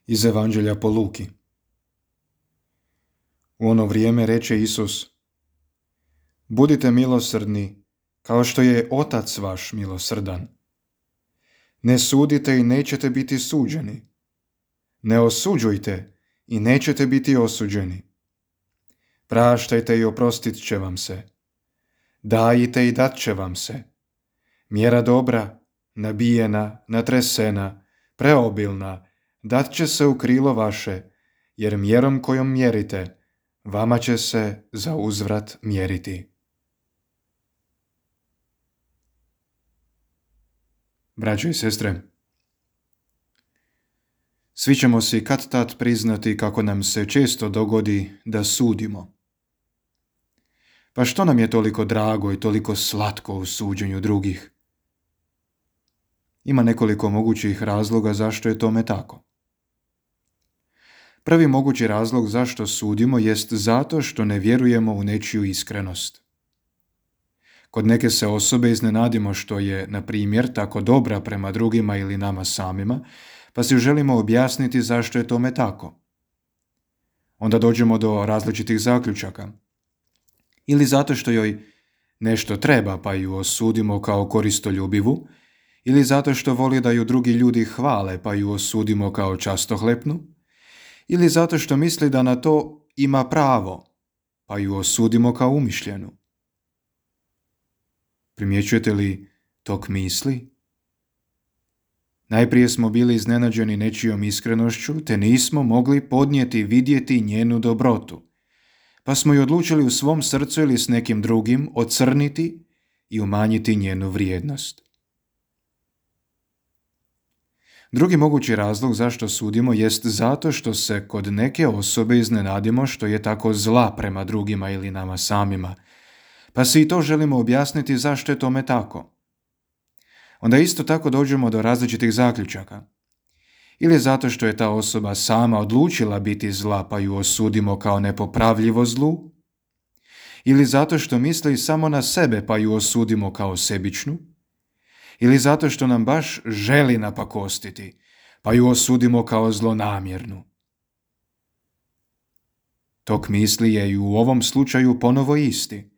Iz Evanđelja po Luki. U ono vrijeme reče Isus: Budite milosrdni, kao što je Otac vaš milosrdan. Ne sudite i nećete biti suđeni. Ne osuđujte i nećete biti osuđeni. Praštajte i oprostit će vam se. Dajte i dat će vam se. Mjera dobra, nabijena, natresena, preobilna, dat će se u krilo vaše, jer mjerom kojom mjerite, vama će se za uzvrat mjeriti. Braćo i sestre, svi ćemo si kad-tad priznati kako nam se često dogodi da sudimo. Pa što nam je toliko drago i toliko slatko u suđenju drugih? Ima nekoliko mogućih razloga zašto je tome tako. Prvi mogući razlog zašto sudimo jest zato što ne vjerujemo u nečiju iskrenost. Kod neke se osobe iznenadimo što je, na primjer, tako dobra prema drugima ili nama samima, pa si želimo objasniti zašto je tome tako. Onda dođemo do različitih zaključaka. Ili zato što joj nešto treba pa ju osudimo kao koristoljubivu, ili zato što voli da ju drugi ljudi hvale pa ju osudimo kao častohlepnu, ili zato što misli da na to ima pravo pa ju osudimo kao umišljenu. Primjećujete li tok misli? Najprije smo bili iznenađeni nečijom iskrenošću, te nismo mogli podnijeti vidjeti njenu dobrotu, pa smo ju odlučili u svom srcu ili s nekim drugim ocrniti i umanjiti njenu vrijednost. Drugi mogući razlog zašto sudimo jest zato što se kod neke osobe iznenadimo što je tako zla prema drugima ili nama samima, pa si i to želimo objasniti zašto je tome tako. Onda isto tako dođemo do različitih zaključaka. Ili zato što je ta osoba sama odlučila biti zla pa ju osudimo kao nepopravljivo zlu, ili zato što misli samo na sebe pa ju osudimo kao sebičnu, ili zato što nam baš želi napakostiti pa ju osudimo kao zlonamjernu. Tok misli je i u ovom slučaju ponovo isti.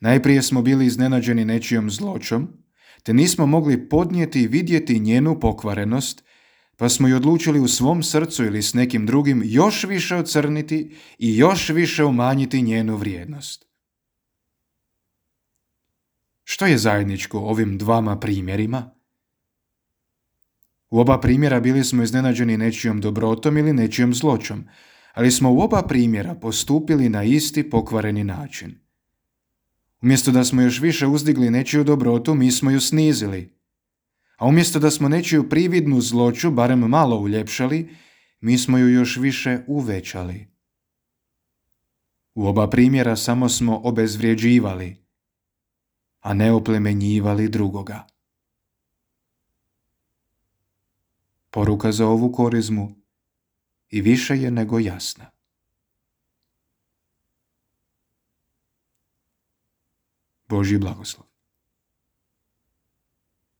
Najprije smo bili iznenađeni nečijom zloćom, te nismo mogli podnijeti i vidjeti njenu pokvarenost, pa smo ju odlučili u svom srcu ili s nekim drugim još više ocrniti i još više umanjiti njenu vrijednost. Što je zajedničko ovim dvama primjerima? U oba primjera bili smo iznenađeni nečijom dobrotom ili nečijom zloćom, ali smo u oba primjera postupili na isti pokvareni način. Umjesto da smo još više uzdigli nečiju dobrotu, mi smo ju snizili. A umjesto da smo nečiju prividnu zloću barem malo uljepšali, mi smo ju još više uvećali. U oba primjera samo smo obezvrjeđivali, a ne oplemenjivali drugoga. Poruka za ovu korizmu i više je nego jasna. Božji blagoslov.